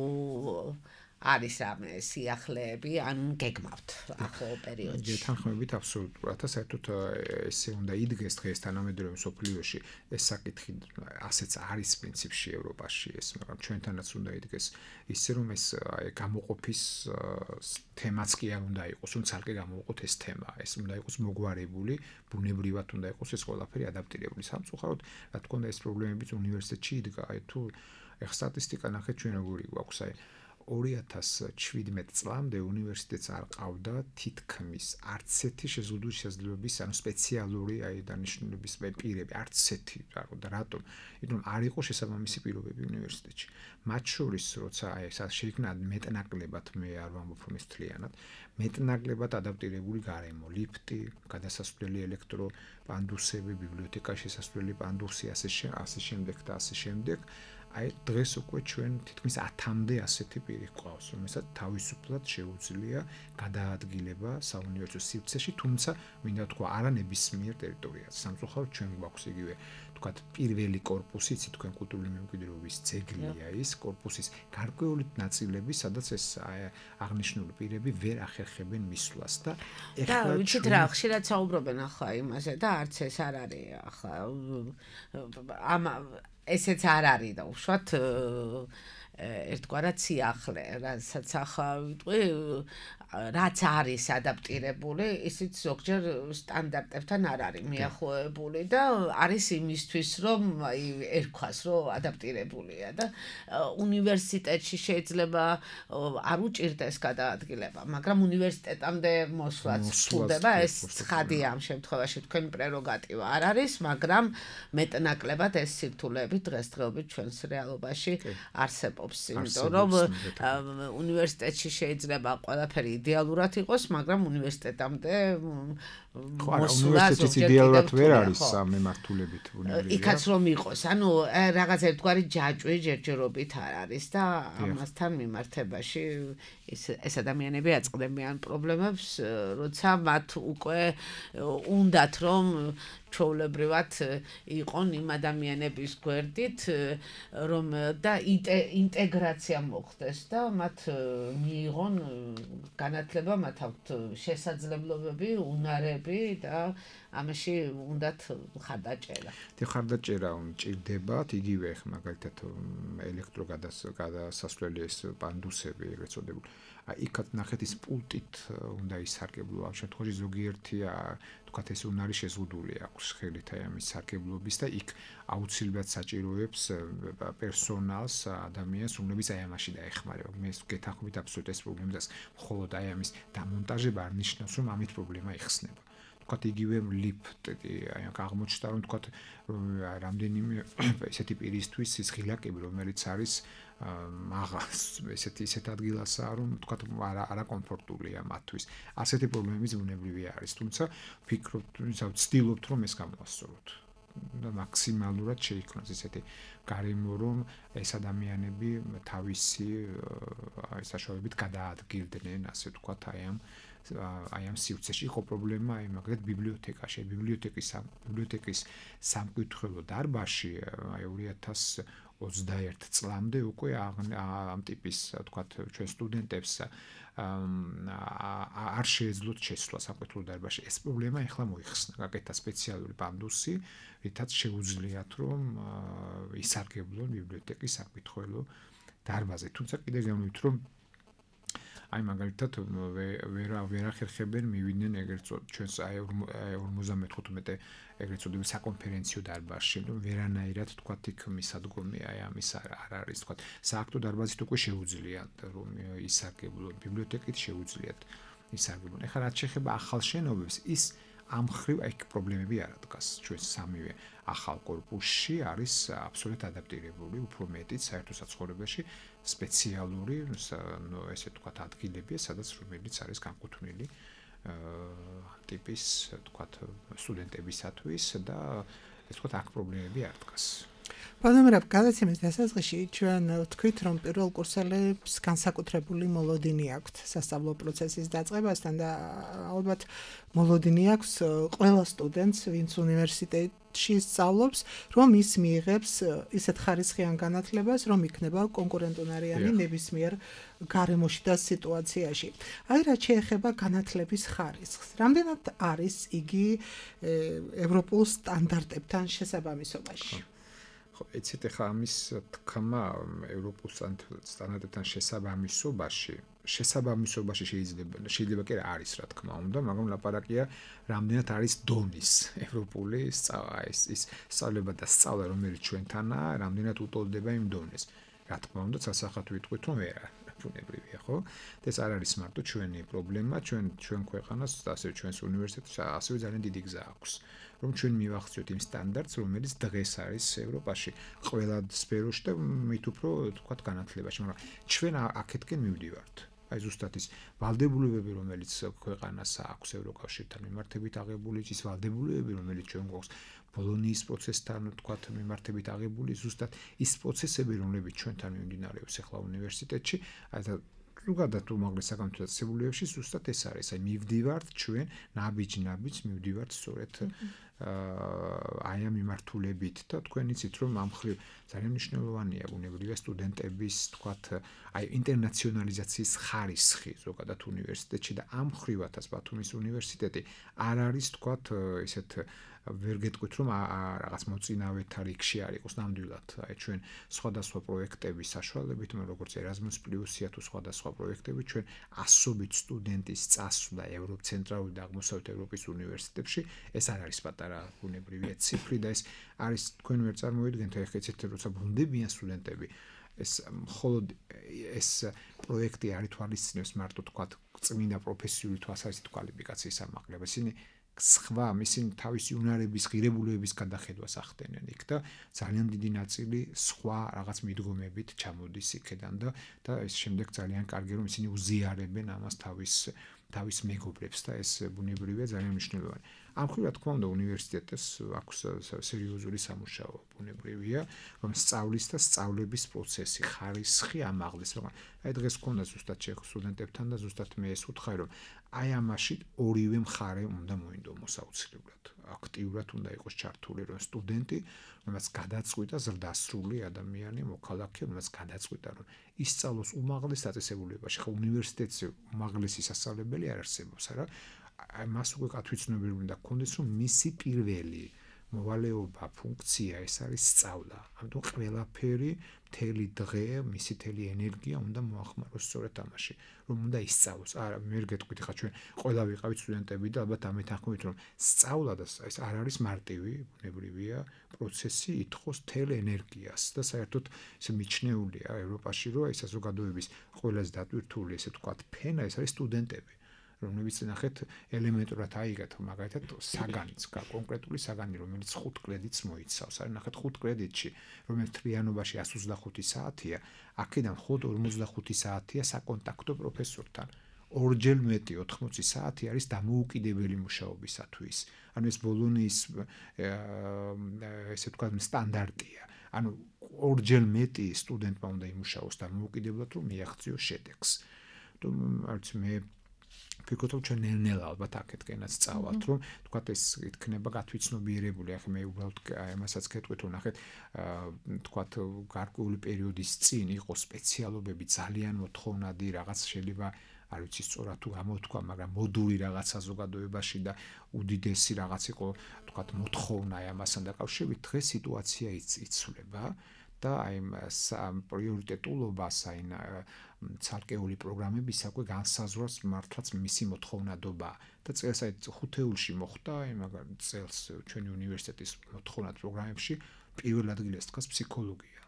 არის რამე სიახლეები ან გეგმავთ ახალ პერიოდში. გეთანხმებით აბსოლუტურად, საერთოდ ესე უნდა იდგეს დღეს თანამედროვე მსოფლიოში ეს საკითხი ასეც არის პრინციპში ევროპაში ეს, მაგრამ ჩვენთანაც უნდა იდგეს ისე რომ ეს გამოყოფის თემაც კი არ უნდა იყოს, რომ ცალკე გამოვყოთ ეს თემა, ეს უნდა იყოს მოგვარებული, ბუნებრივად უნდა იყოს ეს ყველაფერი ადაპტირებული. სამწუხაროდ, რა თქმა უნდა ეს პრობლემებიც უნივერსიტეტში იდგა, აი თუ ეხ სტატისტიკა ნახეთ ჩვენ როგორი გვაქვს, აი ორი ათას შვიდმეტ წლამდე უნივერსიტეტს არ ყავდა თითქმის არც ერთი შეზღუდული შესაძლებლობის, ანუ სპეციალური აი დანიშნულების პირები, არც ერთი. და რატომ? იმიტომ არ იყო შესაბამისი პირობები უნივერსიტეტში. მათ შორის, როცა აი ეს შეიქმნა მეტნაკლებად, მე არ ვამბობ რომ ეს მთლიანად, მეტნაკლებად ადაპტირებული გარემო, ლიფტი, გადასასვლელი ელექტრო პანდუსები, ბიბლიოთეკაში შესასვლელი პანდუსი, ასე ასე შემდეგ და ასე შემდეგ. აი დღეს უკვე ჩვენ თითქმის ათამდე ასეთი პირი გვყავს, რომელსაც თავისუფლად შეუძლია გადაადგილება საუნივერსიტეტო სივრცეში, თუმცა მინდა თქვა არა ნებისმიერ ტერიტორიაზე. სამწუხაროდ ჩვენ გვაქვს იგივე თქვათ პირველი корпуსი, იცით თქვენ კულტურული მემკვიდრეობის ძეგლია ის корпуსის გარკვეული ნაწილები, სადაც ეს აღნიშნული პირები ვერ ახერხებენ მისვლას და ეხლა ვიცით რა, ხშირად საუბრობენ ახლა იმაზე და არც ეს არ არის ახლა ამ ესეც არ არის და უშუალოდ ერთგვარად სიახლე, რასაც ახლა ვიტყვი, რაც არის ადაპტირებული, ისიც ზოგჯერ სტანდარტებთან არ არის მიახლოებული და არის იმისთვის, რომ აი ერქვას, რომ ადაპტირებულია და უნივერსიტეტში შეიძლება არ უჭირდეს გადაადგილება, მაგრამ უნივერსიტეტამდე მოსვლაც სრულდება, ეს ცხადია ამ შემთხვევაში თქვენი პრეროგატივა არ არის, მაგრამ მეტნაკლებად ეს სირთულეები დღესდღეობით ჩვენს რეალობაში არსებობს, იმიტომ რომ უნივერსიტეტში შეიძლება ყველაფერი იდეალურად იყოს, მაგრამ უნივერსიტეტამდე მოსვლა ზოგჯერ იდეალურად ვერ არის ამ მიმართულებით უნივერსიტეტი. იქაც რომ იყოს, ანუ რაღაც ერთგვარი ჯაჭვი ჯერჯერობით არ არის და ამასთან მიმართებაში ეს ეს ადამიანები აწყდებიან პრობლემებს, როცა მათ უკვე უნდათ რომ ჩვეულებრივად იყონ იმ ადამიანების გვერდით, რომ და ინტეგრაცია მოხდეს და მათ მიიღონ განათლება, მათ აქვთ შესაძლებლობები, უნარები და ამაში უნდათ ხარდაჭერა. და ხარდაჭერა მჭირდებათ, იგივე მაგალითად ელექტროგადასასვლელი ეს პანდუსები ეგრეთ წოდებული. იქაც ნახეთ ის პულტით უნდა ისარგებლო, ამ შემთხვევაში ზოგიერთი თქვათ ეს უნარი შეზღუდული აქვს ხელით აი ამის სარგებლობის და იქ აუცილებლად საჭიროებს პერსონალს, ადამიანს, რომლებიც აი ამაში დაეხმარება. მე გეთანხმებით აბსოლუტურად ეს პრობლემას, მხოლოდ აი ამის დამონტაჟება არ ნიშნავს, რომ ამით პრობლემა იხსნება. თქვათ იგივე ლიფტი, აი აღმოჩნდა რომ თქვათ რამდენიმე ესეთი პირისთვის ის ღილაკები, რომელიც არის მაღალს, ესეთი ისეთ ადგილასაა, რომ თქვათ არა არა კომფორტულია მათთვის. ასეთი პრობლემები ბუნებრივი არის, თუმცა ვფიქრობთ, ვცდილობთ რომ ეს გამოვასწოროთ. და მაქსიმალურად შეიქმნას ესეთი გარემო, რომ ეს ადამიანები თავისი აი საშუალებით გადაადგილდნენ, ასე ვთქვათ, აი ამ აი ამ სივრცეში. იყო პრობლემა აი მაგალითად ბიბლიოთეკაში, ბიბლიოთეკის ბიბლიოთეკის სამკითხველო დარბაზში აი ორი ათას ოცდაერთ წლამდე უკვე ამ ტიპის, ვთქვათ, ჩვენ სტუდენტებს არ შეეძლოთ შესვლა სამკითხველო დარბაზში. ეს პრობლემა ეხლა მოიხსნა, გაკეთა სპეციალური პანდუსი, რითაც შეუძლიათ რომ ისარგებლონ ბიბლიოთეკის სამკითხველო დარბაზზე. თუმცა კიდევ გამოვით რომ აი მაგალითად ვერ ვერ ახერხებენ მივიდნენ ეგრეთ წოდ ჩვენს აი ორმოცდამეთხუთმეტე ეგრეთ წოდებული საკონფერენციო დარბაზში, რომ ვერანაირად თქვა იქ მისადგომი აი ამის არ არის თქვა სააქტო დარბაზით უკვე შეუძლიათ რომ ისარგებლონ, ბიბლიოთეკით შეუძლიათ ისარგებლონ. ეხლა რაც შეეხება ახალ შენობებს, ის ამ ხრივ აი პრობლემები არ ადგას. ჩვენ სამივე ახალ კორპუსში არის აბსოლუტურად ადაპტირებული, უფრო მეტიც საერთო საცხოვრებელში სპეციალური, ნუ ესე თქვა ადგილებია, სადაც რომელიც არის განკუთვნილი ტიპის თქვა სტუდენტებისათვის და ეს თქვა აქ პრობლემები არ დგას. ბატონო, გადაცემის დასაწყისში ჩვენ ვთქვით, რომ პირველ კურსელებს განსაკუთრებული მოლოდინი აქვთ სასწავლო პროცესის დაწყებასთან და ალბათ მოლოდინი აქვს ყველა სტუდენტს, ვინც უნივერსიტეტში სწავლობს, რომ ის მიიღებს ისეთ ხარისხიან განათლებას, რომ იქნება კონკურენტუნარიანი ნებისმიერ გარემოში და სიტუაციაში. აი რაც შეეხება განათლების ხარისხს, რამდენად არის იგი ევროპულ სტანდარტებთან შესაბამისობაში? ეცეთ ახლა ამის თქმა ევროპულ სტანდარტებთან შესაბამისობაში, შესაბამისობაში შეიძლება შეიძლება კი არის რა თქმა უნდა, მაგრამ ლაპარაკია რამდენად არის დონის ევროპული სწავლა, ის ის სწავლება და სწავლა რომელიც ჩვენთანაა, რამდენად უტოლდება იმ დონეს. რა თქმა უნდა, სასახად ვიტყვით რომ ვერა ბუნებრივია, ხო? და ეს არ არის მარტო ჩვენი პრობლემა, ჩვენ ჩვენ ქვეყანას, ასევე ჩვენს უნივერსიტეტს ასევე ძალიან დიდი გზა აქვს. რომ ჩვენ მივახციოთ იმ სტანდარტს, რომელიც დღეს არის ევროპაში, ყველა სფეროში და მით უფრო თქვათ განათლებაში, მაგრამ ჩვენ აქეთკენ მივდივართ. აი ზუსტად ის ვალდებულებები, რომელიც ქვეყანას აქვს ევროკავშირთან მიმართებით აღებული, ის ვალდებულებები, რომელიც ჩვენ გვაქვს ბოლონიის პროცესთან თქვათ მიმართებით აღებული, ზუსტად ის პროცესები, რომლებიც ჩვენთან მიმდინარეობს ახლა უნივერსიტეტში, აი და ზოგადად უმაღლეს საკანონმდებლოებში ზუსტად ეს არის. აი მივდივართ ჩვენ ნაბიჯ-ნაბიჯ მივდივართ სწორედ აი ამ მიმართულებით და თქვენ იცით რომ ამ ხრივ ძალიან მნიშვნელოვანია ბუნებრივია სტუდენტების თქვათ აი ინტერნაციონალიზაციის ხარისხი ზოგადად უნივერსიტეტში და ამ ხრივათაც ბათუმის უნივერსიტეტი არ არის თქვათ ესეთ ვერ გეტყვით რომ რაღაც მოწინავეთა რიგში არ იყოს ნამდვილად აი ჩვენ სხვადასხვა პროექტების საშუალებით მე როგორც Erasmus Plus-ია თუ სხვადასხვა პროექტები ჩვენ ასობით სტუდენტის წასვლა ევროპ ცენტრალური და აღმოსავლეთ ევროპის უნივერსიტეტებში ეს არ არის პატარა ბუნებრივია ციფრი და ეს არის თქვენ ვერ წარმოიდგენთ ეხლა ეცეთ როცა ბრუნდებიან სტუდენტები ეს მხოლოდ ეს პროექტი არ ითვალისწინებს მარტო თქვათ წმინდა პროფესიული თვალსაზრისით კვალიფიკაციის ამაღლებას ისინი სხვა ისინი თავისი უნარების ღირებულებების გადახედვას ახდენენ იქ და ძალიან დიდი ნაწილი სხვა რაღაც მიდგომებით ჩამოდის იქედან და და ეს შემდეგ ძალიან კარგი რომ ისინი უზიარებენ ამას თავის თავის მეგობრებს და ეს ბუნებრივია ძალიან მნიშვნელოვანი. ამ ხრივ რა თქმა უნდა უნივერსიტეტს აქვს სერიოზული სამუშაო ბუნებრივია რომ სწავლის და სწავლების პროცესი ხარისხი ამაღლეს რომ აი დღეს გქონდა ზუსტად შეხ სტუდენტებთან და ზუსტად მე ეს ვუთხარი რომ აი ამაში ორივე მხარე უნდა მოინდომოს აუცილებლად აქტიურად უნდა იყოს ჩართული რომ სტუდენტი რომელსაც გადაწყვიტა ზრდასრული ადამიანი მოქალაქე რომელსაც გადაწყვიტა რომ ისწავლოს უმაღლეს დაწესებულებაში ხო უნივერსიტეტზე უმაღლესი სასწავლებელი არ არსებობს არა აი მას უკვე კათვიცნობები უნდა გქონდეს რომ მისი პირველი მოვალეობა ფუნქცია ეს არის სწავლა ამიტომ ყველაფერი მთელი დღე მისი მთელი ენერგია უნდა მოახმაროს სწორედ ამაში რომ უნდა ისწავლოს არა მე გეტყვით ხა ჩვენ ყველა ვიყავით სტუდენტები და ალბათ ამით ახმოვით რომ სწავლა და ეს არ არის მარტივი ბუნებრივია პროცესი ითხოვს მთელ ენერგიას და საერთოდ ეს მიჩნეულია ევროპაში რომ ეს საზოგადოების ყველაზე დატვირთული ესე ვთქვათ ფენა ეს არის სტუდენტები რომლებიც ნახეთ ელემენტურად აიგეთ მაგალითად საგანიც კონკრეტული საგანი რომელიც ხუთ კრედიტს მოიცავს არის ნახეთ ხუთ კრედიტში რომელიც თლიანობაში εκατს ოცდახუთი საათია აქედან ხუთ ორმოცდახუთი საათია საკონტაქტო პროფესორთან ორჯერ მეტი ოთხმოცი საათი არის დამოუკიდებელი მუშაობისათვის ანუ ეს ბოლონიის ესე ვთქვათ სტანდარტია ანუ ორჯერ მეტი სტუდენტმა უნდა იმუშაოს დამოუკიდებლად რომ მიაღწიოს შედეგს თუ არც მე ფიქრობ რომ ჩვენ ნელ-ნელა ალბათ აქეთკენაც წავალთ რომ თქვა ეს იქნება გათვიცნობიერებული ახლა მე უბრალოდ ამასაც გეტყვით რომ ნახეთ თქვა გარკვეული პერიოდის წინ იყო სპეციალობები ძალიან მოთხოვნადი რაღაც შეიძლება არ ვიცი სწორად თუ გამოთქვა მაგრამ მოდული რაღაც საზოგადოებაში და უდიდესი რაღაც იყო თქვა მოთხოვნა ამასთან დაკავშირებით დღეს სიტუაცია იცვლება და აი ამ პრიორიტეტულობას აი ცალკეული პროგრამები საკვე განსაზღვრავს მართლაც მისი მოთხოვნადობა და წელს აი ხუთეულში მოხდა აი მაგალითად წელს ჩვენი უნივერსიტეტის მოთხოვნად პროგრამებში პირველ ადგილას დგას ფსიქოლოგია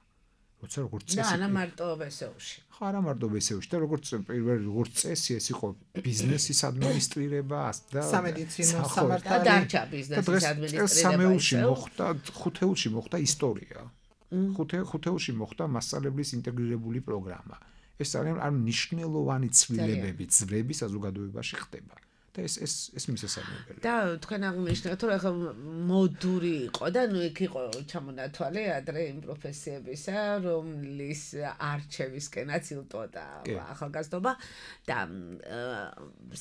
როცა როგორც წესი და არა მარტო ბესეუში ხო არა მარტო ბესეუში და როგორც პირველ როგორც წესი ეს იყო ბიზნესის ადმინისტრირება და სამედიცინო სამართალი და დარჩა ბიზნესის ადმინისტრირება სამეულში მოხდა ხუთეულში მოხდა ისტორია ხუთე ხუთეულში მოხდა მასწავლებლის ინტეგრირებული პროგრამა ეს ძალიან არ მნიშვნელოვანი ცვლილებები ძვრები საზოგადოებაში ხდება და ეს ეს ეს მისასალმებელია და თქვენ აღნიშნეთ რომ ახლა მოდური იყო და ნუ იქ იყო ჩამონათვალე ადრე იმ პროფესიებისა რომლის არჩევისკენაც ილტოდა ახალგაზრდობა და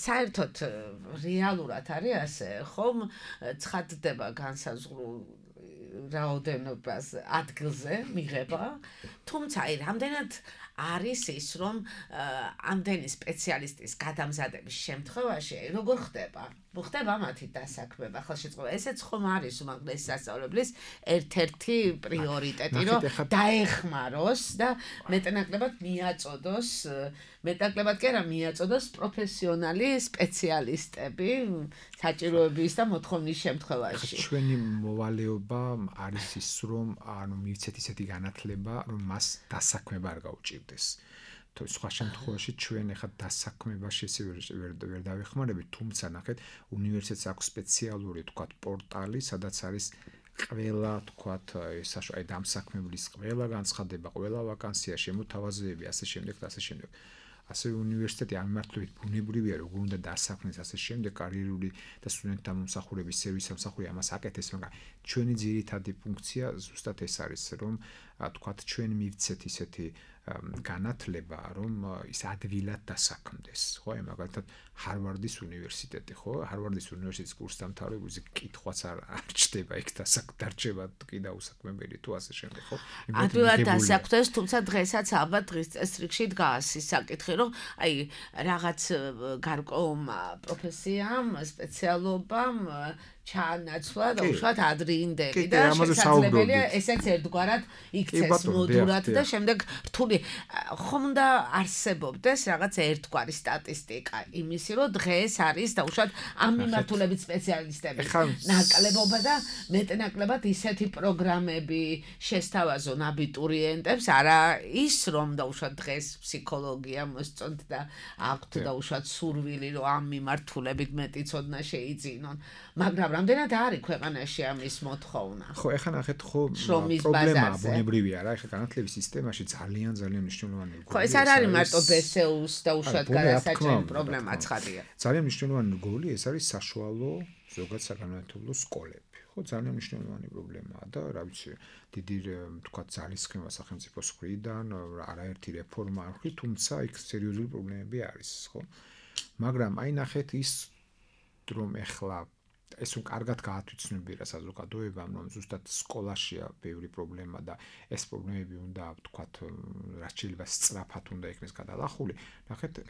საერთოდ რეალურად არის ასე ხომ ცხადდება განსაზღვრულ რაოდენობას ადგილზე მიღება თუმცა აი რამდენად არის ის რომ ამდენი სპეციალისტის გადამზადების შემთხვევაში როგორ ხდება ხდება მათი დასაქმება ახლა შეწყობა ესეც ხომ არის უმაღლესი სასწავლებლის ერთ-ერთი პრიორიტეტი რომ დაეხმაროს და მეტნაკლებად მიაწოდოს მეტნაკლებად კი არა მიაწოდოს პროფესიონალი სპეციალისტები საჭიროების და მოთხოვნის შემთხვევაში ჩვენი მოვალეობა არის ის რომ ანუ მივცეთ ისეთი განათლება რომ მას დასაქმება არ გაუჭირდეს თუ სხვა შემთხვევაში ჩვენ ახლა დასაქმებაში ესე ვერ ვერ დავეხმარებით თუმცა ნახეთ უნივერსიტეტს აქვს სპეციალური თქვათ პორტალი სადაც არის ყველა თქვათ საშუალო აი დამსაქმებლის ყველა განცხადება ყველა ვაკანსია შემოთავაზებები ასე შემდეგ და ასე შემდეგ ასე უნივერსიტეტი ამმართველად ბუნებრივია როგორ უნდა დასაქმნეს ასე შემდეგ კარიერული და სტუდენტთა მომსახურების სერვისი მომსახური ამას აკეთებს მაგრამ ჩვენი ძირითადი ფუნქცია ზუსტად ეს არის რომ თქვათ ჩვენ მივცეთ ისეთი განათლება რომ ის ადვილად დასაქმდეს ხო აი მაგალითად ჰარვარდის უნივერსიტეტი ხო ჰარვარდის უნივერსიტეტის კურსდამთავრებულზე კითხვაც არ არჩდება იქ დასაქმდება კი დაუსაქმებელი თუ ასე შემდეგ ხო ადვილად დასაქმდეს თუმცა დღესაც ალბათ დღის წესრიგში დგას ის საკითხი რომ აი რაღაც გარკვეულ პროფესიამ სპეციალობამ ჩაანაცვლა და უშუალოდ ადრინდელი და შესაძლებელია ესეც ერთგვარად იქცეს მოდურად და შემდეგ რთული ხომ უნდა არსებობდეს რაღაც ერთგვარი სტატისტიკა იმისი რომ დღეს არის და უშუალოდ ამ მიმართულებით სპეციალისტები ნაკლებობა და მეტნაკლებად ისეთი პროგრამები შესთავაზონ აბიტურიენტებს არა ის რომ და უშუალოდ დღეს ფსიქოლოგია მოსწონთ და აქვთ და უშუალოდ სურვილი რომ ამ მიმართულებით მეტი ცოდნა შეიძინონ მაგრამ რამდენად არის ქვეყანაში ამის მოთხოვნა? ხო, ეხლა ნახეთ, ხო, პრობლემაა ბუნებრივია რა, ეხლა განათლების სისტემაში ძალიან ძალიან მნიშვნელოვანი რგოლია. ხო, ეს არ არის მარტო ბესეუს და უშუალოდ გადასაჭრელი პრობლემა ცხადია. ძალიან მნიშვნელოვანი რგოლი ეს არის საშუალო ზოგად საგანმანათლებლო სკოლები. ხო, ძალიან მნიშვნელოვანი პრობლემაა და რა ვიცი, დიდი თქვა ძალისხმევა სახელმწიფოს მხრიდან, არაერთი რეფორმა არ ხრი, თუმცა იქ სერიოზული პრობლემები არის, ხო? მაგრამ აი ნახეთ ის რომ ეხლა ეს რომ კარგად გაათვითცნობიერა საზოგადოებამ, რომ ზუსტად სკოლაშია ბევრი პრობლემა და ეს პრობლემები უნდა ვთქვათ, რაც შეიძლება სწრაფად უნდა იქნეს გადალახული. ნახეთ,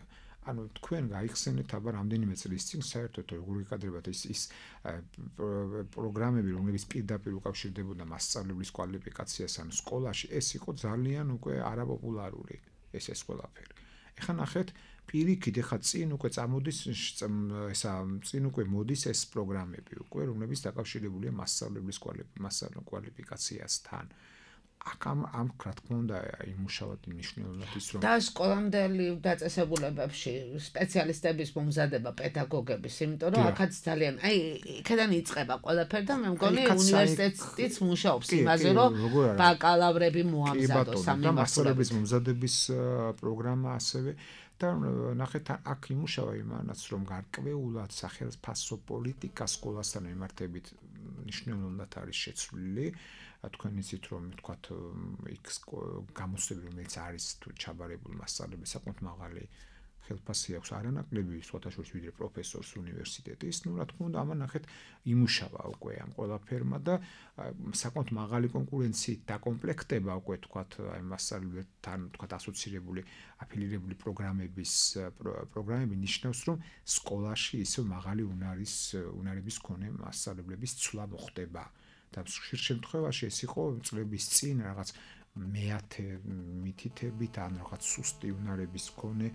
ანუ თქვენ გაიხსენეთ აბა რამდენიმე წლის წინ საერთოდ როგორ იკადრებათ ის ის პროგრამები, რომლებიც პირდაპირ უკავშირდებოდა მასწავლებლის კვალიფიკაციას ან სკოლაში, ეს იყო ძალიან უკვე არაპოპულარული ეს ეს ყველაფერი. ეხლა ნახეთ პირიქით ეხა წინ უკვე წამოდის ესა წინ უკვე მოდის ეს პროგრამები უკვე რომლებიც დაკავშირებულია მასწავლებლის კვალიფიკაციასთან. აქ ამ ამ რა თქმა უნდა იმუშავოთ მნიშვნელოვნად ის რომ და სკოლამდელი დაწესებულებებში სპეციალისტების მომზადება პედაგოგების, იმიტომ რომ აქაც ძალიან აი იქიდან იწყება ყველაფერი და მე მგონი უნივერსიტეტიც მუშაობს იმაზე რომ ბაკალავრები მოამზადოს ამ მასწავლებლის მომზადების პროგრამა ასევე და ნახეთ აქ იმუშავა იმანაც რომ გარკვეულად სახელმწიფო პოლიტიკა სკოლასთან მიმართებით მნიშვნელოვნად არის შეცვლილი თქვენ იცით რომ თქვათ იქ გამოცდები რომელიც არის თუ ჩაბარებული მასწავლებელი საკმაოდ მაღალი ხელფასი აქვს არანაკლები სხვათა შორის ვიდრე პროფესორს უნივერსიტეტის ნუ რა თქმა უნდა ამან ნახეთ იმუშავა უკვე ამ ყველაფერმა და საკმაოდ მაღალი კონკურენციით დაკომპლექტება უკვე თქვათ აი მასწავლებლებთან თქვათ ასოცირებული აფილირებული პროგრამების პროგრამები ნიშნავს რომ სკოლაში ისე მაღალი უნარის უნარების მქონე მასწავლებლების ცვლა მოხდება და ხშირ შემთხვევაში ეს იყო წლების წინ რაღაც მეათე მითითებით ან რაღაც სუსტი უნარების მქონე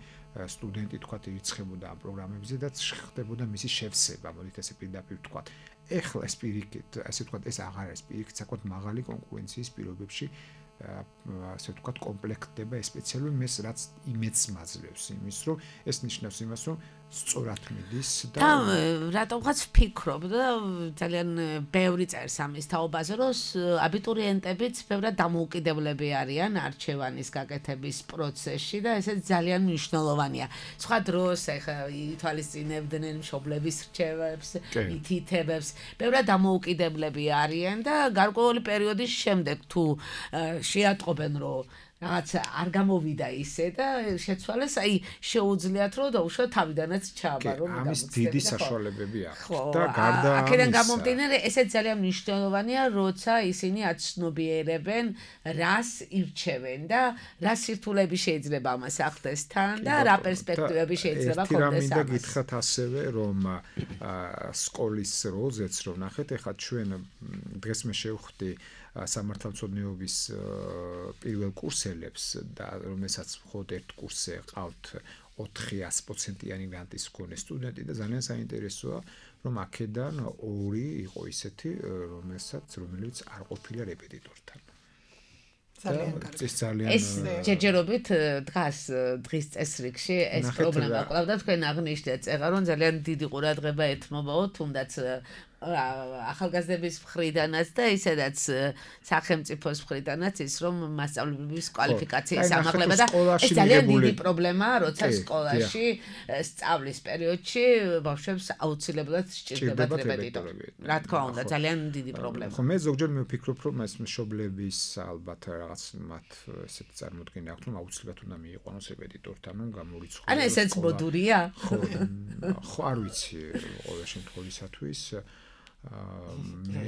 სტუდენტი თქვა ირიცხებოდა ამ პროგრამებზე და ხდებოდა მისი შევსება, მოდით ესე პირდაპირ თქვა. ეხლა ეს პირიქით, ასე თქვა, ეს აღარ არის პირიქით, საკმაოდ მაღალი კონკურენციის პირობებში ასე თქვა კომპლექტდება ეს სპეციალური მეს რაც იმედს მაძლევს იმის რომ ეს ნიშნავს იმას რომ სწორად მიდის და რატომღაც ვფიქრობ და ძალიან ბევრი წერს ამის თაობაზე რომ აბიტურიენტებიც ბევრად დამოუკიდებლები არიან არჩევანის გაკეთების პროცესში და ესეც ძალიან მნიშვნელოვანია. სხვა დროს ეხა ითვალისწინებდნენ მშობლების რჩევებს, მითითებებს, ბევრად დამოუკიდებლები არიან და გარკვეული პერიოდის შემდეგ თუ შეატყობენ რომ რაღაც არ გამოვიდა ისე და შეცვალეს, აი შეუძლიათ რომ დაუშვათ თავიდანაც ჩააბარო. ამის დიდი საშუალებები აქვს და გარდა ამისა აქედან გამომდინარე ესეც ძალიან მნიშვნელოვანია, როცა ისინი აცნობიერებენ რას ირჩევენ და რა სირთულეები შეიძლება ამას ახდეს თან და რა პერსპექტივები შეიძლება ქონდეს ამას. ერთი რამე და გითხრათ ასევე რომ სკოლის როლზეც რომ ნახეთ, ეხლა ჩვენ დღეს მე შევხვდი სამართალმცოდნეობის პირველ კურსელებს და რომელსაც მხოლოდ ერთ კურსზე ყავთ ოთხი პროცენტიანი გრანტის მქონე სტუდენტი და ძალიან საინტერესოა რომ აქედან ორი იყო ისეთი რომელსაც რომელიც არ ყოფილა რეპეტიტორთან. ძალიან კარგი. ეს ძალიან ეს ჯერჯერობით დღას დღის წესრიგში ეს პრობლემა ყავდა თქვენ აღნიშნეთ ეხლა რომ ძალიან დიდი ყურადღება ეთმობაო თუნდაც ახალგაზრდების მხრიდანაც და ისედაც სახელმწიფოს მხრიდანაც ის რომ მასწავლებლების კვალიფიკაციის ამაღლება და ეს ძალიან დიდი პრობლემაა როცა სკოლაში სწავლის პერიოდში ბავშვებს აუცილებლად სჭირდებათ რეპეტიტორი. რა თქმა უნდა ძალიან დიდი პრობლემა. ხო მე ზოგჯერ მე ვფიქრობ რომ ეს მშობლების ალბათ რაღაც მათ ესეთ წარმოდგენა აქვს რომ აუცილებლად უნდა მიიყვანოს რეპეტიტორთან რომ გამორიცხოს. ანუ ესეც მოდურია? ხო ხო არ ვიცი ყოველ შემთხვევისათვის მე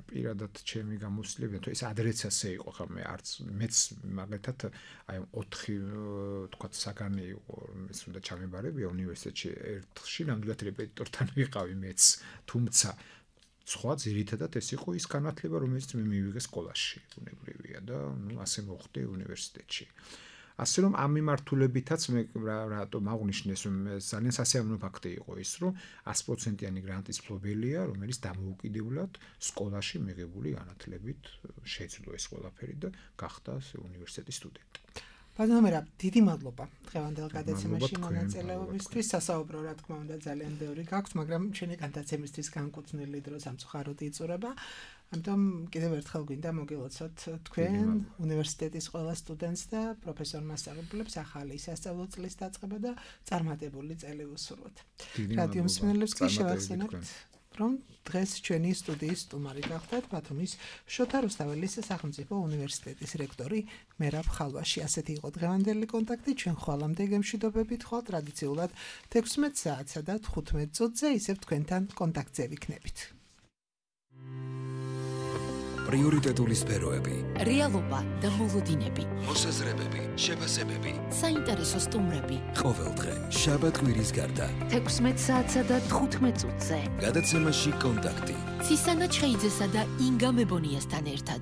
პირადად ჩემი გამოცდილება თუ ეს ადრეც ასე იყო ხა მე არც მეც მაგალითად აი ოთხი თქვა საგანი იყო ეს უნდა ჩამებარებია უნივერსიტეტში ერთხში ნამდვილად რეპეტიტორთან ვიყავი მეც თუმცა სხვა ძირითადად ეს იყო ის განათლება რომელიც მე მივიღე სკოლაში ბუნებრივია და ნუ ასე მოხდი უნივერსიტეტში ასე რომ ამ მიმართულებითაც მე რატომ აღნიშნეს რომ ძალიან სასიამოვნო ფაქტი იყო ის რომ ათი პროცენტიანი გრანტის მფლობელია რომელიც დამოუკიდებლად სკოლაში მიღებული განათლებით შეძლო ეს ყველაფერი და გახდა უნივერსიტეტის სტუდენტი. ბატონო მერაბ, დიდი მადლობა დღევანდელ გადაცემაში მონაწილეობისთვის. სასაუბრო რა თქმა უნდა ძალიან ბევრი გაქვს, მაგრამ ჩვენი გადაცემისთვის განკუთვნილი დრო სამწუხაროდ იწურება. ამიტომ კიდევ ერთხელ გვინდა მოგილოცოთ თქვენ უნივერსიტეტის ყველა სტუდენტს და პროფესორ მასწავლებლებს ახალი სასწავლო წლის დაწყება და წარმატებული წელი უსურვოთ. რადიო მსმენელებს კი შევახსენებთ რომ დღეს ჩვენი სტუდიის სტუმარი გახდათ ბათუმის შოთა რუსთაველის სახელმწიფო უნივერსიტეტის რექტორი მერაბ ხალვაში. ასეთი იყო დღევანდელი კონტაქტი. ჩვენ ხვალამდე გემშვიდობებით ხვალ ტრადიციულად თექვსმეტ საათსა და თხუთმეტ წუთზე ისევ თქვენთან კონტაქტზე ვიქნებით. პრიორიტეტული სფეროები, რეალობა და მოლოდინები, მოსაზრებები, შეფასებები, საინტერესო სტუმრები. ყოველდღე შაბათ-კვირის გარდა თექვსმეტ საათსა და თხუთმეტ წუთზე. გადაცემაში კონტაქტი. ცისანა ჩხეიძესა და ინგა მებონიასთან ერთად.